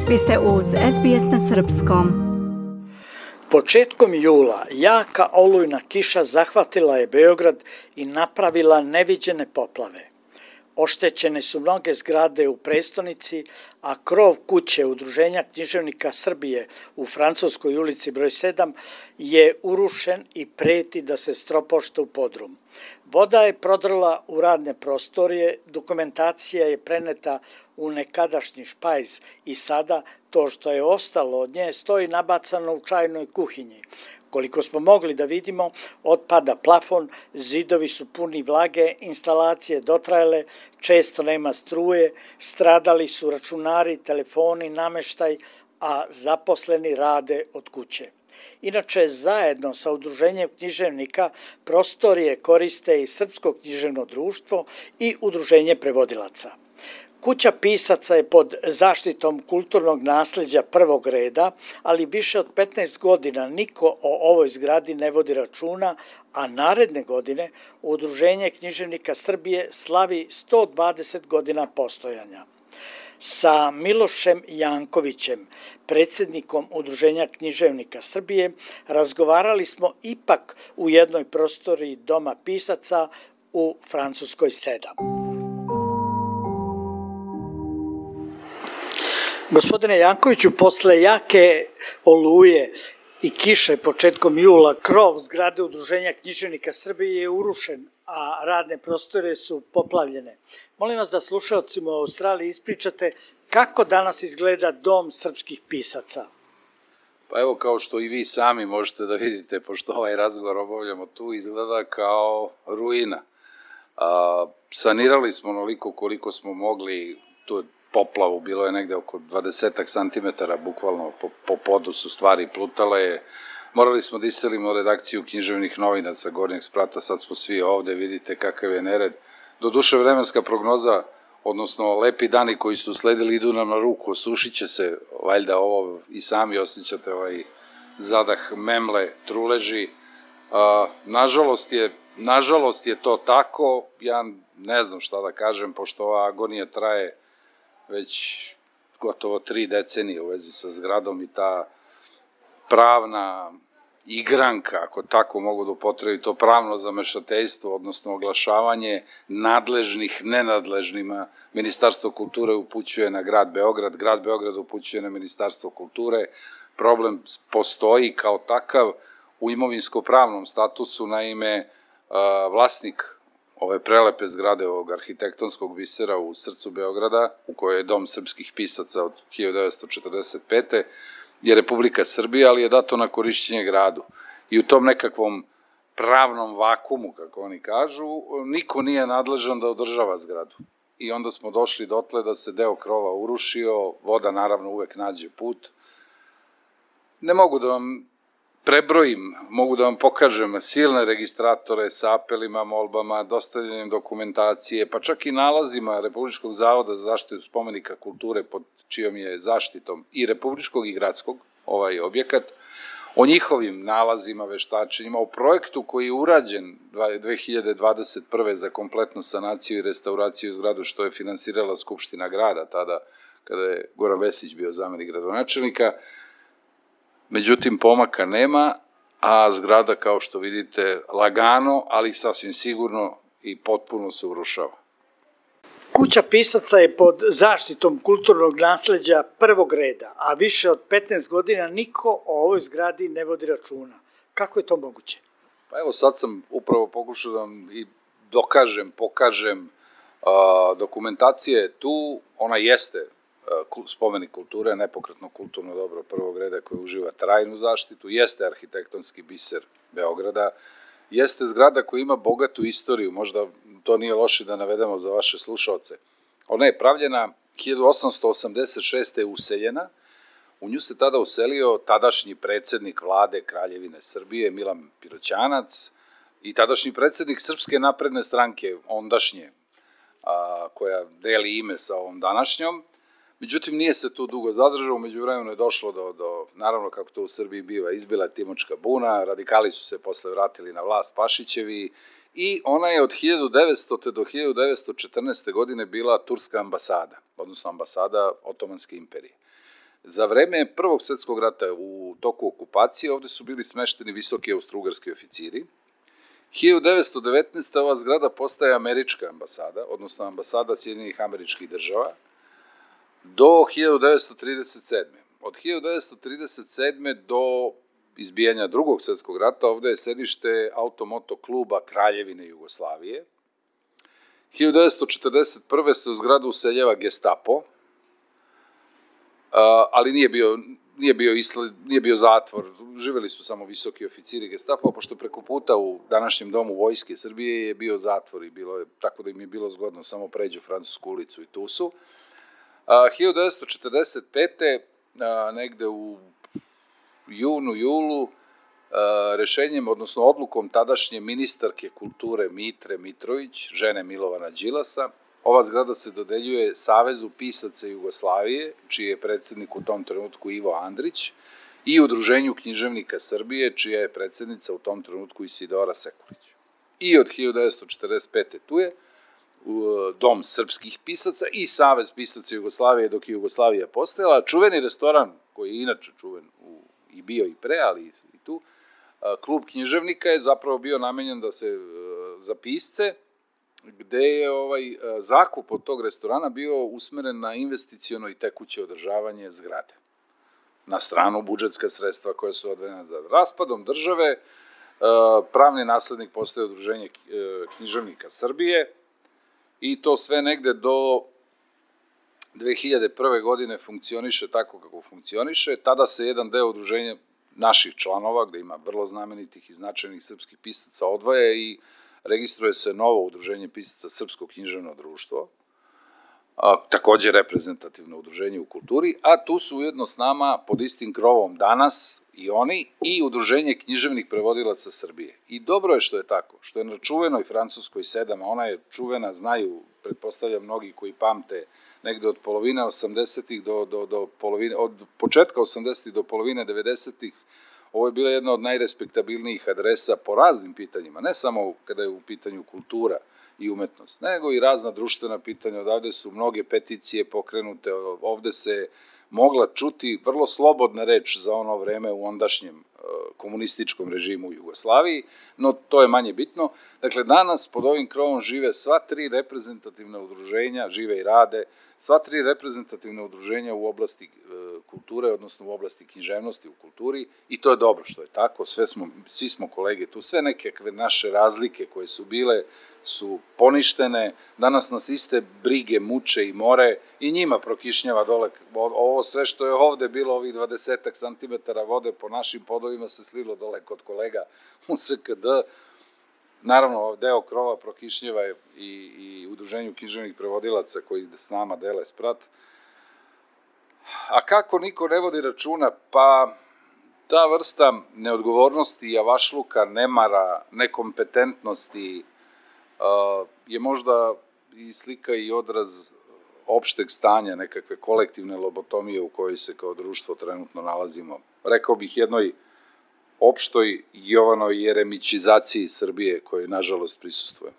Vi ste uz SBS na srpskom. Početkom jula jaka olujna kiša zahvatila je Beograd i napravila neviđene poplave. Oštećene su mnoge zgrade u prestonici, a krov kuće Udruženja književnika Srbije u Francuskoj ulici broj 7 je urušen i preti da se stropošta u podrum. Voda je prodrla u radne prostorije, dokumentacija je preneta u nekadašnji špajz i sada to što je ostalo od nje stoji nabacano u čajnoj kuhinji. Koliko smo mogli da vidimo, otpada plafon, zidovi su puni vlage, instalacije dotrajale, često nema struje, stradali su računari, telefoni, nameštaj, a zaposleni rade od kuće. Inače, zajedno sa Udruženjem književnika prostorije koriste i Srpsko književno društvo i Udruženje prevodilaca. Kuća pisaca je pod zaštitom kulturnog nasleđa prvog reda, ali više od 15 godina niko o ovoj zgradi ne vodi računa, a naredne godine Udruženje književnika Srbije slavi 120 godina postojanja. Sa Milošem Jankovićem, predsjednikom Udruženja književnika Srbije, razgovarali smo ipak u jednoj prostoriji Doma pisaca u Francuskoj 7. Gospodine Jankoviću, posle jake oluje i kiše početkom jula, krov zgrade Udruženja književnika Srbije je urušen, a radne prostore su poplavljene. Molim vas da slušaocima u Australiji ispričate kako danas izgleda Dom srpskih pisaca. Pa evo, kao što i vi sami možete da vidite, pošto ovaj razgovor obavljamo tu, izgleda kao ruina. Sanirali smo onoliko koliko smo mogli tu poplavu, bilo je negde oko 20 santimetara, bukvalno po podu su stvari plutale. Morali smo da iselimo redakciju književnih novina sa Gornjeg sprata, sad smo svi ovde, vidite kakav je nered. Doduše, vremenska prognoza, odnosno lepi dani koji su sledili, idu nam na ruku, osušit će se, valjda ovo i sami osjećate ovaj zadah memle, truleži. Nažalost je to tako, ja ne znam šta da kažem, pošto ova agonija traje već gotovo 3 decenije u vezi sa zgradom i ta pravna igranka, ako tako mogu da upotrebi, to pravno zamešateljstvo, odnosno oglašavanje nadležnih nenadležnima. Ministarstvo kulture upućuje na grad Beograd, grad Beograd upućuje na Ministarstvo kulture. Problem postoji kao takav u imovinsko-pravnom statusu, naime vlasnik ove prelepe zgrade ovog arhitektonskog bisera u srcu Beograda, u kojoj je Dom srpskih pisaca od 1945. je Republika Srbija, ali je dato na korišćenje gradu. I u tom nekakvom pravnom vakumu, kako oni kažu, niko nije nadležan da održava zgradu. I onda smo došli dotle da se deo krova urušio, voda naravno uvek nađe put. Ne mogu da vam prebrojim, mogu da vam pokažem silne registratore sa apelima, molbama, dostavljanjem dokumentacije, pa čak i nalazima Republičkog zavoda za zaštitu spomenika kulture pod čijom je zaštitom i republičkog i gradskog ovaj objekat, o njihovim nalazima, veštačenjima, o projektu koji je urađen 2021. za kompletnu sanaciju i restauraciju zgradu, što je finansirala Skupština grada tada, kada je Goran Vesić bio zamenik gradonačelnika. Međutim, pomaka nema, a zgrada, kao što vidite, lagano, ali sasvim sigurno i potpuno se urušava. Kuća pisaca je pod zaštitom kulturnog nasleđa prvog reda, a više od 15 godina niko o ovoj zgradi ne vodi računa. Kako je to moguće? Pa evo, sad sam upravo pokušao da vam i pokažem, dokumentacija je tu, ona jeste spomenik kulture, nepokretno kulturno dobro prvog reda koje uživa trajnu zaštitu, jeste arhitektonski biser Beograda, jeste zgrada koja ima bogatu istoriju, možda to nije loše da navedemo za vaše slušaoce. Ona je pravljena 1886. je useljena, u nju se tada uselio tadašnji predsednik vlade Kraljevine Srbije, Milan Piroćanac, i tadašnji predsednik Srpske napredne stranke, ondašnje, koja deli ime sa ovom današnjom. Međutim, nije se tu dugo zadržao, umeđu vremenu je došlo do, naravno kako to u Srbiji biva, izbila Timočka buna, radikali su se posle vratili na vlast Pašićevi i ona je od 1900. do 1914. godine bila turska ambasada, odnosno ambasada Otomanske imperije. Za vreme Prvog svetskog rata u toku okupacije ovde su bili smešteni visoki austrougarski oficiri. 1919. ova zgrada postaje američka ambasada, odnosno ambasada Sjedinjenih Američkih Država, do 1937. Od 1937. do izbijanja Drugog svetskog rata ovde je sedište automoto kluba Kraljevine Jugoslavije. 1941. se u zgradu useljava Gestapo, ali nije bio zatvor, živeli su samo visoki oficiri Gestapo, pošto preko puta u današnjem domu Vojske Srbije je bio zatvor i bilo je, tako da im je bilo zgodno, samo pređu Francusku ulicu i tu su. 1945. negde u julu, rešenjem, odnosno odlukom tadašnje ministarke kulture Mitre Mitrović, žene Milovana Đilasa, ova zgrada se dodeljuje Savezu pisaca Jugoslavije, čiji je predsednik u tom trenutku Ivo Andrić, i Udruženju književnika Srbije, čija je predsednica u tom trenutku Isidora Sekulić. I od 1945. tu je Dom srpskih pisaca i Savez pisaca Jugoslavije dok je Jugoslavija postojala. Čuveni restoran, koji je inače čuven i bio i pre, ali i tu, klub književnika je zapravo bio namenjen za pisce, gde je zakup od tog restorana bio usmeren na investiciono i tekuće održavanje zgrade. Na stranu budžetska sredstva koja su odvojena za raspadom države, pravni naslednik postaje Udruženje književnika Srbije i to sve negde do 2001. godine funkcioniše tako kako funkcioniše. Tada se jedan deo udruženja naših članova, gde ima vrlo znamenitih i značajnih srpskih pisaca, odvaja i registruje se novo udruženje pisaca Srpsko književno društvo, takođe reprezentativno udruženje u kulturi, a tu su ujedno s nama pod istim krovom danas i oni i Udruženje književnih prevodilaca Srbije. I dobro je što je tako, što je na čuvenoj Francuskoj 7, a ona je čuvena, znaju, pretpostavljam mnogi koji pamte, negde od polovine 80-ih do polovine, od početka 80-ih do polovine 90-ih, ovo je bila jedna od najrespektabilnijih adresa po raznim pitanjima, ne samo kada je u pitanju kultura i umetnost, nego i razna društvena pitanja. Odavde su mnoge peticije pokrenute, ovde se mogla čuti vrlo slobodna reč za ono vreme u ondašnjem komunističkom režimu u Jugoslaviji, no to je manje bitno. Dakle, danas pod ovim krovom žive sva tri reprezentativna udruženja, žive i rade, sva tri reprezentativna udruženja u oblasti kulture, odnosno u oblasti književnosti u kulturi, i to je dobro što je tako, svi smo kolege tu, sve nekakve naše razlike koje su bile su poništene, danas nas iste brige muče i more i njima prokišnjava dole, ovo sve što je ovde bilo, ovih 20 santimetara vode po našim podovima se slilo dole kod kolega u SKD. Naravno, deo krova prokišnjava i Udruženju književnih prevodilaca koji s nama dele sprat. A kako niko ne vodi računa? Pa ta vrsta neodgovornosti, javašluka, nemara, nekompetentnosti je možda i slika i odraz opšteg stanja, nekakve kolektivne lobotomije u kojoj se kao društvo trenutno nalazimo. Rekao bih jednoj opštoj Jovanoj jeremićizaciji Srbije koje nažalost prisustvujemo.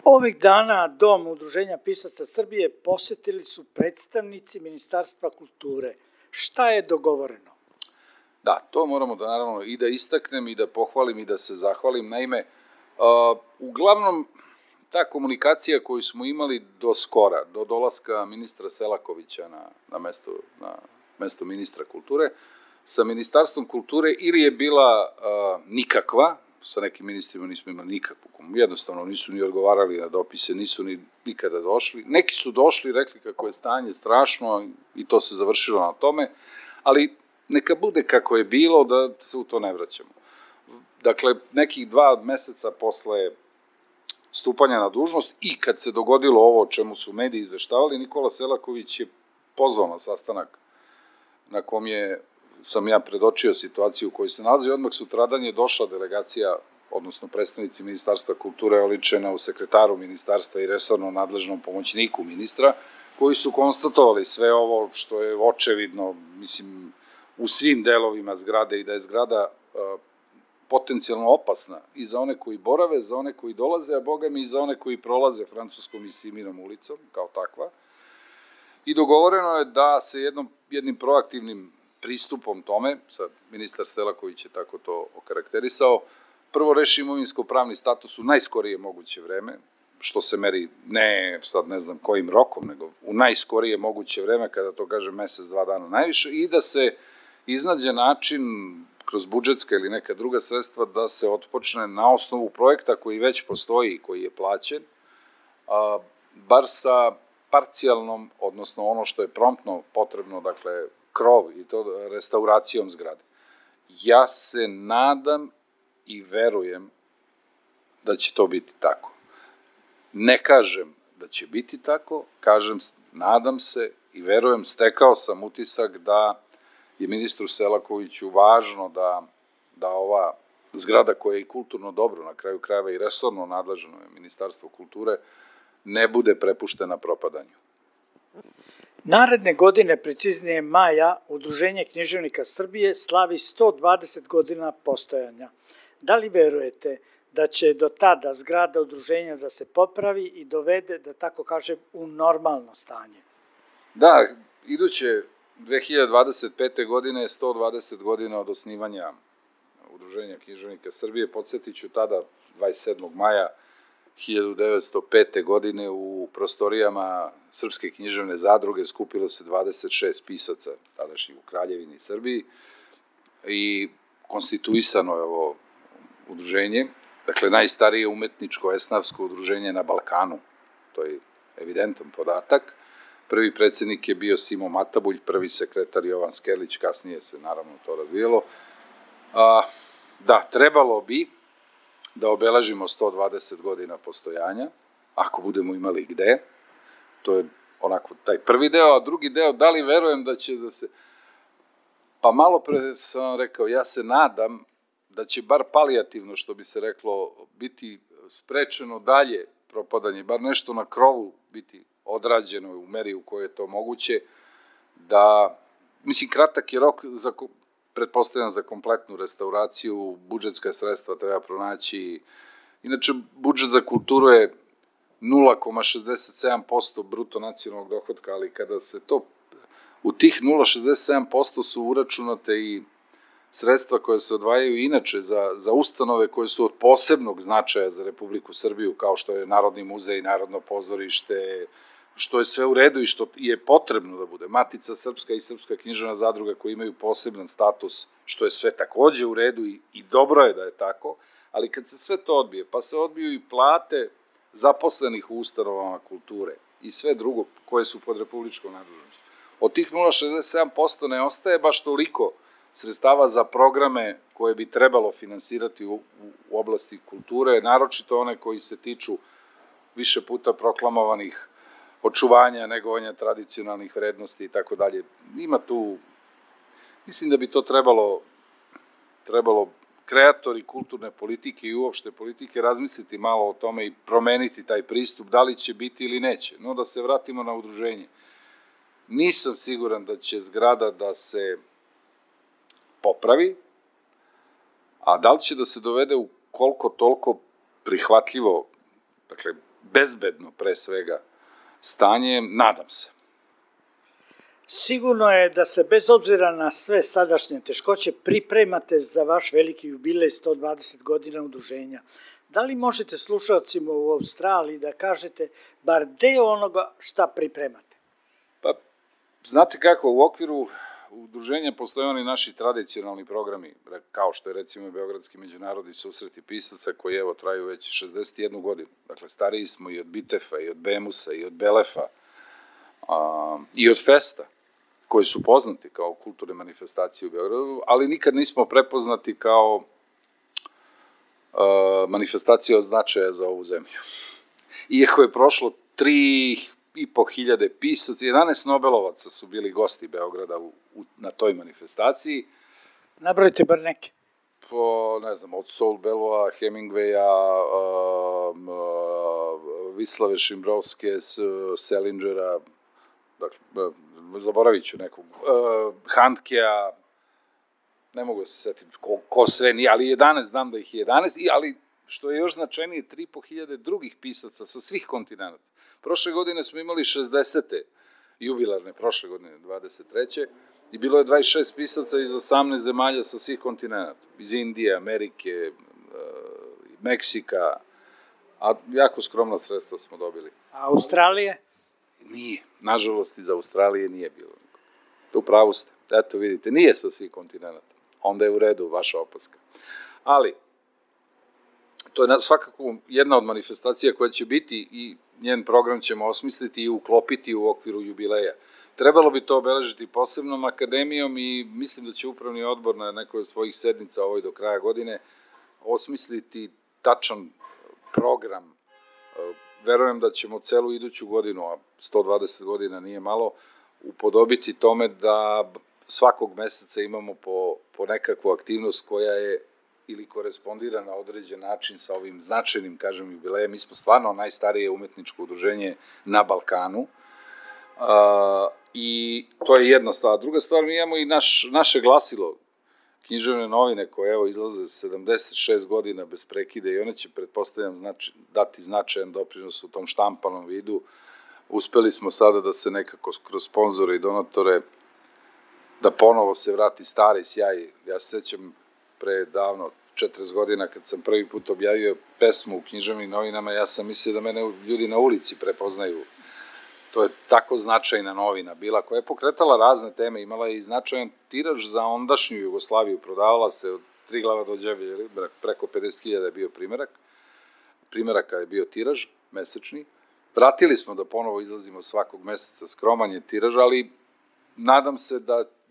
Ovih dana Dom Udruženja pisaca Srbije posetili su predstavnici Ministarstva kulture. Šta je dogovoreno? Da, to moramo da naravno i da istaknem i da pohvalim i da se zahvalim. Naime, uglavnom ta komunikacija koju smo imali do skora, do dolaska ministra Selakovića na mesto ministra kulture, sa Ministarstvom kulture ili je bila nikakva, sa nekim ministrima nismo imali nikakvu, jednostavno nisu ni odgovarali na dopise, nisu ni nikada došli. Neki su došli, rekli kako je stanje strašno i to se završilo na tome, ali neka bude kako je bilo, da se u to ne vraćamo. Dakle, nekih 2 meseca posle stupanja na dužnost i kad se dogodilo ovo o čemu su mediji izveštavali, Nikola Selaković je pozvao na sastanak na kom sam ja predočio situaciju u kojoj se nalazi. Odmah sutradan je došla delegacija, odnosno predstavnici Ministarstva kulture oličena u sekretaru ministarstva i resorno nadležnom pomoćniku ministra, koji su konstatovali sve ovo što je očevidno, mislim, u svim delovima zgrade i da je zgrada potencijalno opasna i za one koji borave, za one koji dolaze, a boga mi i za one koji prolaze Francuskom i Siminom ulicom, kao takva. I dogovoreno je da se jednom jednim proaktivnim pristupom tome, sad ministar Selaković je tako to okarakterisao, prvo reši imovinsko-pravni status u najskorije moguće vreme, što se meri sad ne znam kojim rokom, nego u najskorije moguće vreme, kada to kaže mesec, 2 dana najviše, i da se iznađe način kroz budžetska ili neka druga sredstva da se otpočne na osnovu projekta koji već postoji i koji je plaćen, bar sa parcijalnom, odnosno ono što je promptno potrebno, dakle krov i to restauracijom zgrade. Ja se nadam i verujem da će to biti tako. Ne kažem da će biti tako, kažem nadam se i verujem, stekao sam utisak da je ministru Selakoviću važno da ova zgrada koja je i kulturno dobro, na kraju krajeva i resorno nadležno je Ministarstvo kulture, ne bude prepuštena propadanju. Naredne godine, preciznije maja, Udruženje književnika Srbije slavi 120 godina postojanja. Da li verujete da će do tada zgrada udruženja da se popravi i dovede, da tako kažem, u normalno stanje? Da, iduće 2025. godine je 120 godina od osnivanja Udruženja književnika Srbije. Podsjetiću, tada, 27. maja 1905. godine u prostorijama Srpske književne zadruge skupilo se 26 pisaca, tadašnjih u Kraljevini Srbiji, i konstituisano je ovo udruženje, dakle najstarije umetničko esnafsko udruženje na Balkanu, to je evidentan podatak. Prvi predsednik je bio Simo Matabulj, prvi sekretar Jovan Skerlić, kasnije se naravno to razvijelo. Da, trebalo bi da obeležimo 120 godina postojanja, ako budemo imali gde. To je onako taj prvi deo, a drugi deo, da li verujem da će da se... Pa malo pre sam vam rekao, ja se nadam da će bar palijativno, što bi se reklo, biti sprečeno dalje propadanje, bar nešto na krovu biti odrađeno u meri u kojoj je to moguće, da, mislim, kratak je rok pretpostavljam za kompletnu restauraciju, budžetska sredstva treba pronaći. Inače, budžet za kulturu je 0,67% bruto nacionalnog dohodka, ali kada se to, u tih 0,67% su uračunate i sredstva koje se odvajaju inače za ustanove koje su od posebnog značaja za Republiku Srbiju, kao što je Narodni muzej, Narodno pozorište, što je sve u redu i što je potrebno da bude. Matica Srpska i Srpska književna zadruga koji imaju poseban status, što je sve takođe u redu i dobro je da je tako, ali kad se sve to odbije, pa se odbiju i plate zaposlenih u ustanovama kulture i sve drugo koje su pod republičkom nadležnošću. Od tih 0,67% ne ostaje baš toliko sredstava za programe koje bi trebalo finansirati u oblasti kulture, naročito one koji se tiču više puta proklamovanih očuvanja, negovanja tradicionalnih vrednosti i tako dalje. Ima tu, mislim da bi to trebalo kreatori kulturne politike i uopšte politike razmisliti malo o tome i promeniti taj pristup, da li će biti ili neće. No, da se vratimo na udruženje. Nisam siguran da će zgrada da se popravi, a da li će da se dovede u koliko toliko prihvatljivo, dakle, bezbedno pre svega, stanje, nadam se. Sigurno je da se bez obzira na sve sadašnje teškoće pripremate za vaš veliki jubilej 120 godina udruženja. Da li možete slušalcima u Australiji da kažete bar deo onoga šta pripremate? Pa, znate kako, u okviru udruženja postoje oni naši tradicionalni programi, kao što je recimo Beogradski međunarodni susreti pisaca koji evo traju već 61 godinu. Dakle, stariji smo i od Bitefa, i od Bemusa, i od Belefa, i od Festa, koji su poznati kao kulturne manifestacije u Beogradu, ali nikad nismo prepoznati kao manifestacija od značaja za ovu zemlju. Iako je prošlo 3.500 pisaca, 11 Nobelovaca su bili gosti Beograda na toj manifestaciji. Nabrojite bar neke. Ne znam, od Saul Bellowa, Hemingwaya, Vislave Šimbrovske, Selingera, dakle, zaboravit ću nekog, Handkea, ne mogu se setiti ko sve nije, ali 11, znam da ih je 11, ali što je još značajnije, 3.500 drugih pisaca sa svih kontinenta. Prošle godine smo imali 60. jubilarne, prošle godine, 23. I bilo je 26 pisaca iz 18 zemalja sa svih kontinenta, iz Indije, Amerike, Meksika, a jako skromna sredstva smo dobili. A Australije? Nije, nažalost iz Australije nije bilo. U pravu ste, eto vidite, nije sa svih kontinenta. Onda je u redu vaša opaska. Ali, to je svakako jedna od manifestacija koja će biti i njen program ćemo osmisliti i uklopiti u okviru jubileja. Trebalo bi to obeležiti posebnom akademijom i mislim da će upravni odbor na nekoj od svojih sednica ovoj do kraja godine osmisliti tačan program. Verujem da ćemo celu iduću godinu, a 120 godina nije malo, upodobiti tome da svakog meseca imamo po nekakvu aktivnost koja je ili korespondira na određen način sa ovim značajnim, kažem, jubilejem. Mi smo stvarno najstarije umetničko udruženje na Balkanu i to je jedna stvar. Druga stvar, mi imamo i naše glasilo, književne novine koje evo izlaze 76 godina bez prekida i one će, pretpostavljam, dati značajan doprinos u tom štampanom vidu. Uspeli smo sada da se nekako kroz sponzore i donatore da ponovo se vrati stari sjaj. Ja se sećam pre davno, 40 godina, kad sam prvi put objavio pesmu u književnim novinama, ja sam mislio da mene ljudi na ulici prepoznaju. To je tako značajna novina bila, koja je pokretala razne teme, imala je i značajan tiraž za ondašnju Jugoslaviju, prodavala se od 3 glava do đevelje, preko 50.000 je bio primeraka je bio tiraž, mesečni. Vratili smo da ponovo izlazimo svakog meseca, skroman je tiraž, ali nadam se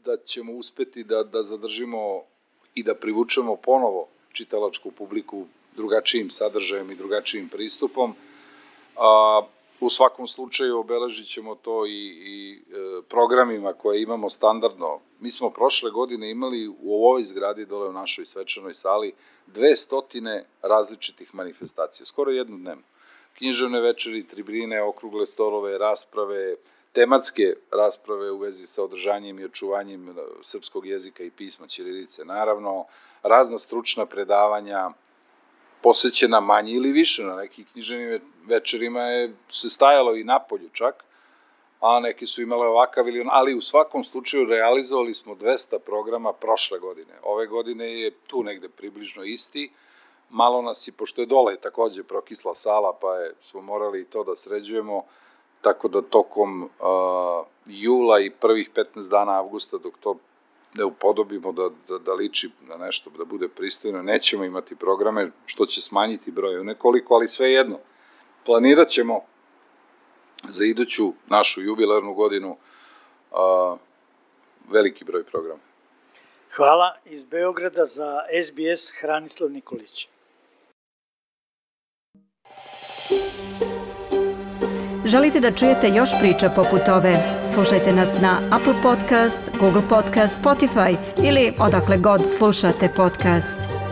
da ćemo uspeti da zadržimo i da privučemo ponovo čitalačku publiku drugačijim sadržajem i drugačijim pristupom. U svakom slučaju obeležit ćemo to i programima koje imamo standardno. Mi smo prošle godine imali u ovoj zgradi, dole u našoj svečanoj sali, 200 različitih manifestacija, skoro jednodnevno. Književne večeri, tribine, okrugle stolove, rasprave, tematske rasprave u vezi sa održanjem i očuvanjem srpskog jezika i pisma ćirilice. Naravno, razna stručna predavanja, posvećena manje ili više, na nekih književnim večerima se stajalo i napolju čak, a neki su imale ovakav ili ali u svakom slučaju realizovali smo 200 programa prošle godine. Ove godine je tu negde približno isti, malo nas i, pošto je dole takođe prokisla sala, pa smo morali i to da sređujemo, tako da tokom jula i prvih 15 dana avgusta, dok to ne upodobimo da liči na nešto, da bude pristojno, nećemo imati programe, što će smanjiti broj nekoliko, ali sve jedno. Planirat ćemo za iduću našu jubilarnu godinu veliki broj programa. Hvala. Iz Beograda za SBS Hranislav Nikolić. Želite da čujete još priča poput ove? Slušajte nas na Apple Podcast, Google Podcast, Spotify ili odakle god slušate podcast.